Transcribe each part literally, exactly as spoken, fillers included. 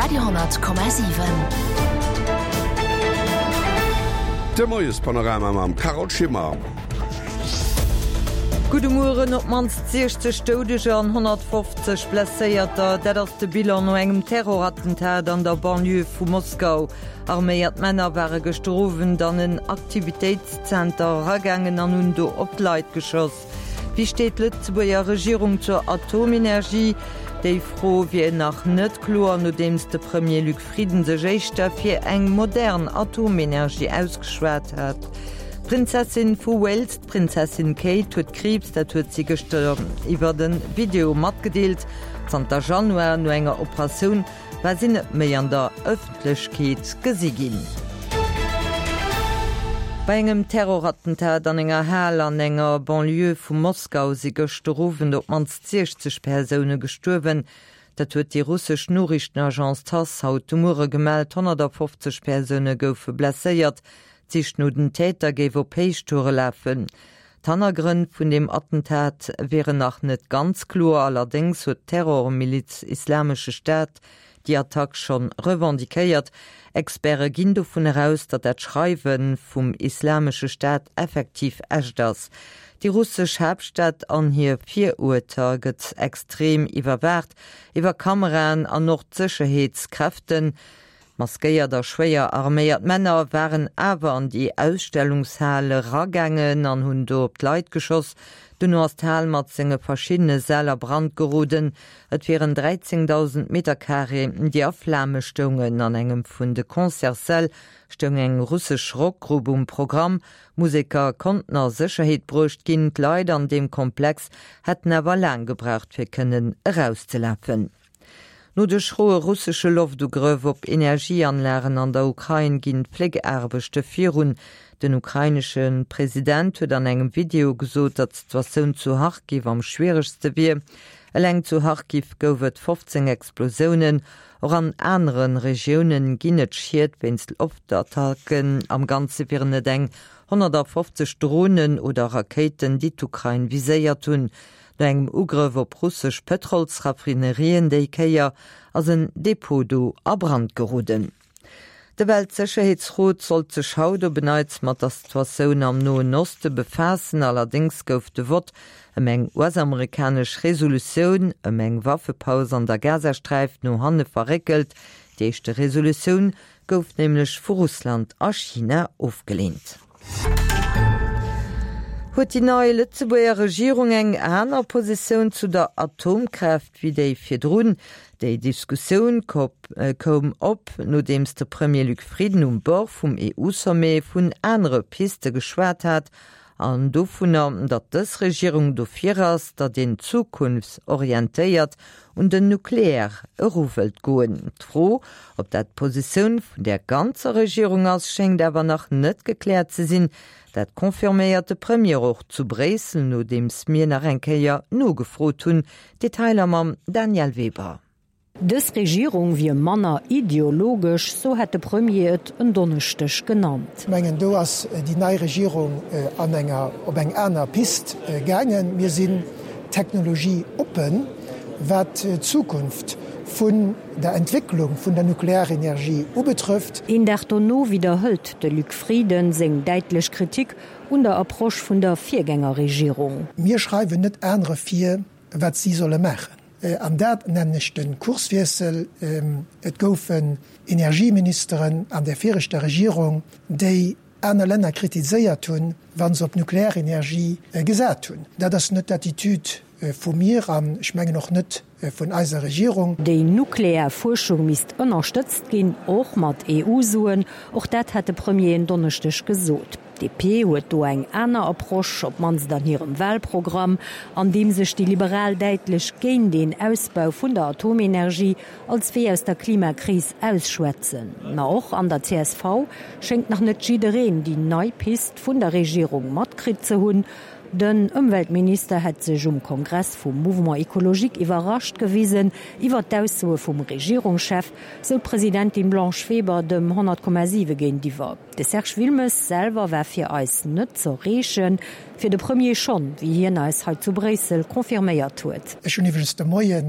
Radio honnert Komma siwen. De Moiespanorama mam Carole Schimmer. Gudde Mueren, Op d'mannst siechzeg Doudeger an honnertfofzeg Blesséierter, dat ass de Bilan no engem Terrorattentat an der Banlieue vu Moskau. Arméiert Männer ware gëschter Owend an en Aktivitéitszenter eragaangen an hunn do op d'Leit geschoss. Wéi steet d'Lëtzebuerger Regierung zur Atomenergie? Déi Fro wier nach net kloer, nodeems de Premier Luc Frieden sech éischter fir eng modern Atomenergie ausgeschwat hat. D'Prinzessin vu Wales, d'Prinzessin Kate, huet Kriibs, dat huet si gëschter iwwert e Video matgedeelt. Zanter Januar, no enger Operatioun, war si net méi an der Ëffentlechkeet gesi ginn. Bei engem Terrorattentat an enger Hal an enger Banlieue vu Moskau si gëschter Owend op d'mannst siechzeg Persoune gestuerwen. Dat huet déi russesch Noriichtenagence Tass haut de Muere gemellt. Honnertafofzeg Persoune goufe blesséiert. D'Sich no den Täter géif op Héichtoure lafen. D'Hannergrënn vun deem Attentat wieren nach net ganz kloer, allerdéngs huet d'Terrormiliz Islamesche Staat déi Attack schonn revendiquéiert. Experte ginn dovun eraus, datt dat Schreiwe vum Islamesche Staat effektiv echt ass. Déi russesch Haaptstad an hir Viruerter gëtt extrem iwwerwaacht, iwwer Kameraen an och d'Sécherheetskräften. Maskéiert a schwéier arméiert Männer waren awer an déi Ausstellungshal eragaangen an hunn do op d'Leit geschoss. Duerno ass d'Hal mat senge verschiddene Säll a Brand geroden. Et wieren dräizéngdausend Metercarré, déi a Flame stoungen. An engem vun de Concertssäll stoung eng russesch Rockgrupp um Programm. Museker konnten a Sécherheet bruecht ginn. D'Leit an deem Komplex hätten awer laang gebraucht, fir kënnen erauszelafen. No de schroe russesche Loftugrëff op Energieanlagen an der Ukrain ginn d'Fléckaarbechte virun. Den ukrainesche President huet an engem Video gesot, datt d'Situatioun zu Charkiw am schwieregste wier. Eleng zu Charkiw gouf et fofzéng Explosiounen. Och an anere Regioune ginn et Schied wéinst Loftattacken. Am Ganze wieren et eng honnertafofzeg Dronen oder Rakéiten, déi d'Ukrain viséiert hunn. No engem Ugrëff op russesch Pëtrolsraffinerien déi Kéier ass en Depot do a Brand geroden. De Weltsécherheetsrot sollt sech haut op en Neits mat der Situatioun am Noen Oste befaassen. Allerdéngs gouf de Vott ëm eng U S-amerikanesch Resolutioun ëm eng Waffepaus an der Gazasträif no hanne verréckelt. Déi éischte Resolutioun gouf nämlech vu Russland a China ofgeleent. Huet déi nei Lëtzebuerger Regierung eng aner Positioun zu der Atomkraaft wéi déi virdrun? Déi Diskussioun koum op, nodeems de Premier Luc Frieden um Bord vum E U-Sommet vun anere Piste geschwat hat an dovunner, datt dës Regierung dofir ass, datt een zukunftsorientéiert un den Nuklear eru wëllt goen. D'Fro, ob dat d'Positioun vun der ganzer Regierung ass, schéngt awer nach net gekläert ze sinn. Dat confirméiert de Premier och zu Bréissel, nodeems mir nach eng Kéier nogefrot hunn. Detailer mam Danièle Weber. Dës Regierung wier manner ideologesch, sou hätt de Premier et en Donneschdeg genannt. Ech mengen, do ass déi nei Regierung an enger, op eng aner Pist gaangen. Mir sinn technologieoppen, wat d'Zukunft vun der Entwécklung vun der Nuklearenergie ubetrëfft. Een Dag dono widderhëlt de Luc Frieden seng däitlech Kritik un der Approche vun der Virgängerregierung. Mir schreiwen net anere vir, wat si solle maachen. An dat nennen ech de Kurswiessel. Et goufen Energieministeren an der viregter Regierung, déi aner Länner kritiséiert hunn, wa se op Nuklearenergie gesat hunn. Dat ass net d'Attitude vu mir an ech mengen och net vun eiser Regierung. Déi nuklear Fuerschung misst ënnerstëtzt ginn, och mat E U-Suen. Och dat hat de Premier en Donneschdeg gesot. D'D P huet do eng aner Approche, op d'mannst an hirem Walprogramm, an deem sech déi Liberal däitlech géint een Ausbau vun der Atomenergie als Wee aus der Klimakris ausschwätzen. Ma och an der C S V schéngt nach net jiddereen déi nei Pist vun der Regierung matkritt ze hunn. Den Ëmweltminister hätt sech um Kongress vum Mouvement Ecologique iwwerrascht gewisen iwwer d'Aussoe vum Regierungschef, sou d'Presidentin Blanche Weber dem honnert Komma siwe géintiwwer. De Serge Wilmes selwer war fir eis net z'erreechen, fir de Premier schonn, wéi hien eis hei zu Bréissel confirméiert huet. Ech hunn iwwregens de Moie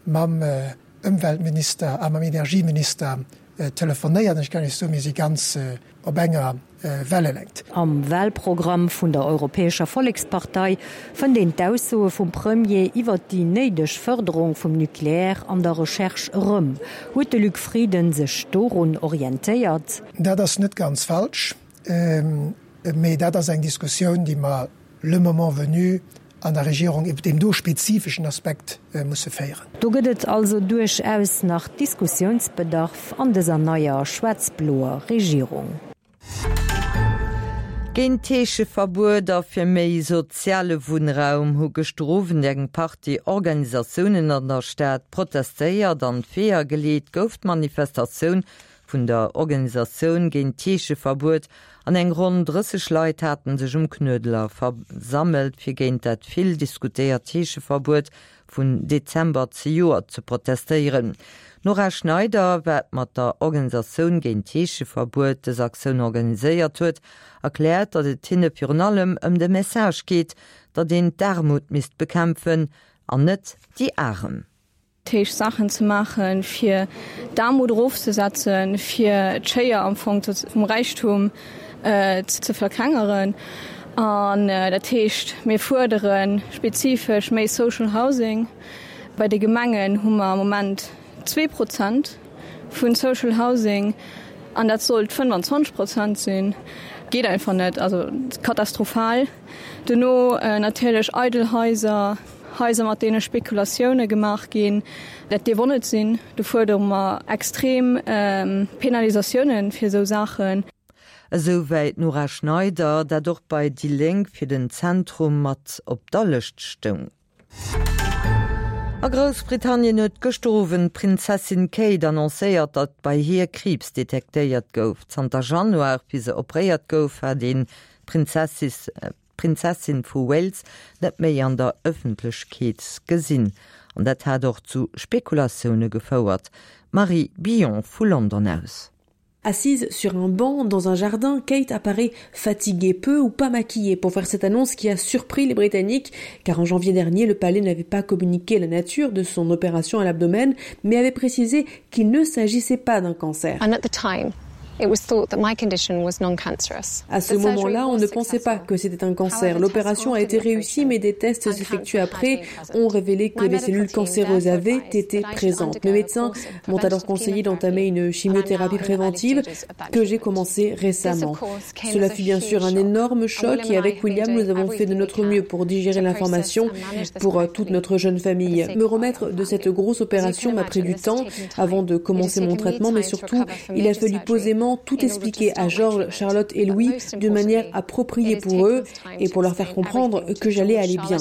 mam Ëmweltminister a mam Energieminister telefonéiert an ech kann Iech soen, mir si ganz op enger Wellelängt. Am Wahlprogramm vun der Europäescher Vollekspartei fënnt een d'Aussoe vum Premier iwwert déi néideg Fërderung vum Nucléaire an der Recherche erëm. Huet de Luc Frieden sech dorun orientéiert? Dat ass net ganz falsch, mee dat ass eng Diskussioun, déi mer le moment venu an der Regierung iwwer deem do spezifeschen Aspekt musse féieren. Do gëtt et also duerchaus nach Diskussiounsbedarf an dëser neier schwaarz-bloer Regierung. Géint d'Heescheverbuet a fir méi soziale Wunnraum hu gëschter Owend eng Partie Organisatiounen an der Stad protestéiert. An d'Weeër geleet gouf d'Manifestatioun vun der Organisatioun géint d'Heescheverbuet an eng ronn drësseg Leit haten sech um Knuedler versammelt, fir géint dat vill diskutéiert Heescheverbuet vun Dezember zejoert ze protestéieren. D'Nora Schneider, wat mat der Organisatioun géint d'Heescheverbuet dës Aktioun organiséiert huet, erkläert, datt et hinne virun allem ëm de Message geet, datt een d'Aarmut misst bekämpfen an net déi Arem. Héich Saachen ze maachen, fir d'Aarmut erofzesetzen, fir d'Schéier am Fong vum Räichtum ze verklengeren. An dat heescht, mir fuerdere spezifesch méi Social Housing. Bei de Gemengen hu mer am Moment zwee Prozent vu Social Housing an dat sollt fënnwanzwanzeg Prozent sinn. Geet einfach net, also katastrophal. Dono natierlech eidel Haiser, Haiser mat deene Spekulatioune gemaach ginn, dat dierf och net sinn. Do fuerdere mer extrem Penalisatioune fir esou Saachen. Esou wäit d'Nora Schneider, dat och bei déi Lénk fir den Zentrum mat op der Lëscht stoung. A Groussbritannien huet gëschter Owend d'Prinzessin Kate annoncéiert, datt bei hir Kriibs detektéiert gouf. Zanter Januar, wéi se operéiert gouf, hat een d'Prinzessin vu Wales net méi an der Ëffentlechkeet gesinn. An dat hat och zu Spekulatioune gefouert. D'Marie Billon vu London aus. Assise sur un banc dans un jardin, Kate apparaît fatiguée, peu ou pas maquillée pour faire cette annonce qui a surpris les Britanniques, car en janvier dernier, le palais n'avait pas communiqué la nature de son opération à l'abdomen, mais avait précisé qu'il ne s'agissait pas d'un cancer. And at the time, it was thought that my condition was non-cancerous. À ce moment-là, on ne pensait pas que c'était un cancer. L'opération a été réussie, mais des tests effectués après ont révélé que des cellules cancéreuses avaient été présentes. Mes médecins m'ont alors conseillé d'entamer une chimiothérapie préventive que j'ai commencée récemment. Cela fut bien sûr un énorme choc et avec William, nous avons fait de notre mieux pour digérer l'information pour toute notre jeune famille. Me remettre de cette grosse opération m'a pris du temps avant de commencer mon traitement, mais surtout, il a fallu posément tout expliquer à George, Charlotte et Louis d'une manière appropriée pour eux et pour leur faire comprendre que j'allais aller bien.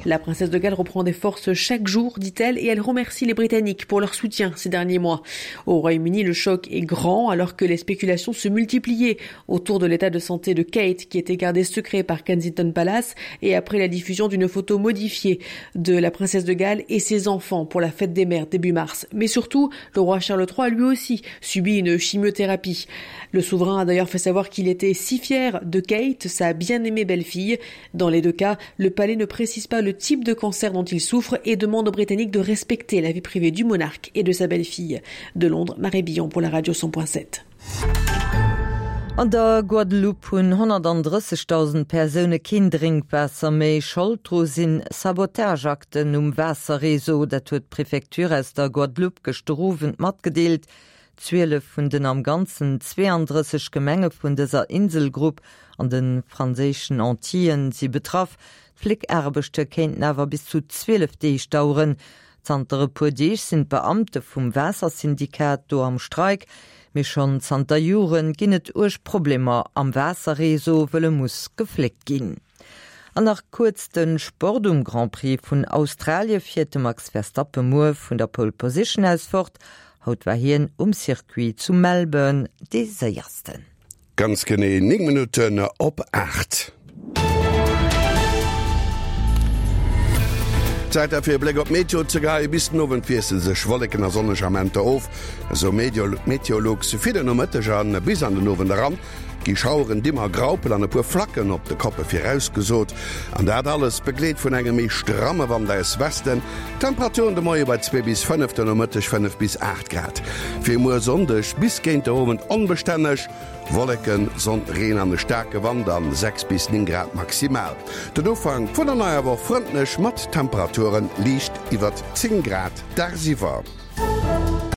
La princesse de Galles reprend des forces chaque jour, dit-elle, et elle remercie les Britanniques pour leur soutien ces derniers mois. Au Royaume-Uni, le choc est grand alors que les spéculations se multipliaient autour de l'état de santé de Kate, qui était gardé secret par Kensington Palace, et après la diffusion d'une photo modifiée de la princesse de Galles et ses enfants pour la fête des mères début mars. Mais surtout, le roi Charles trois a lui aussi subi une chimiothérapie. Le souverain a d'ailleurs fait savoir qu'il était si fier de Kate, sa bien-aimée belle-fille. Dans les deux cas, le palais ne précise pas le type de cancer dont il souffre et demande aux Britanniques de respecter la vie privée du monarque et de sa belle-fille. De Londres, Marie Billon pour la radio cent point sept. An der Guadeloupe hunn honnertandrëssegdausend Persoune keen Drénkwaasser méi. Schold dru sinn Sabotageakten um Waasserreseau, dat huet d'Prefecture aus der Guadeloupe gëschter Owend matgedeelt. Zwielef vun den am Ganzen zweeandrësseg Gemenge vun dëser Inselgrupp an de franséischen Antillen si betraff. D'Fléckaarbechte kéinten awer bis zu zwielef Deeg daueren. Zanter e puer Deeg sinn d'Beamte vum Waassersyndikat do am Streik. Mee schonn zanter Joren ginn et uerg Problemer am Waasserreseau, wëll e muss gefléckt ginn. An nach kuerz de Sport, Um Grand Prix vun Australie fiert de Max Verstappen muer vun der Pole Position aus fort. Haut war hien um Circuit zu Melbourne dee séiersten. Ganz genee néng Minutten op aacht. Zäit da fir e Bléck op d'Meteo ze geheien. Bis den Owend wiessele sech Wolleken a sonneg Amenter of, esou Meteolux fir den Nomëtteg a bis an den Owend eran. gi Schaueren, Dimmer, Graupel an e puer Flacken op de Koppe virausgesot, an dat alles begleet vun engem méi stramme Wand aus Westen. Temperaturen de Moie bei zwee bis fënnef, de Nomëtteg fënnef bis aacht Grad. Fir muer Sonndeg bis géint de Owend onbestänneg, Wolleken, Sonn, Reen an e staarke Wand an sechs bis néng Grad maximal. Den Ufank vun der neier Woch frëndlech mat Temperature liicht iwwert zéng Grad dagsiwwer.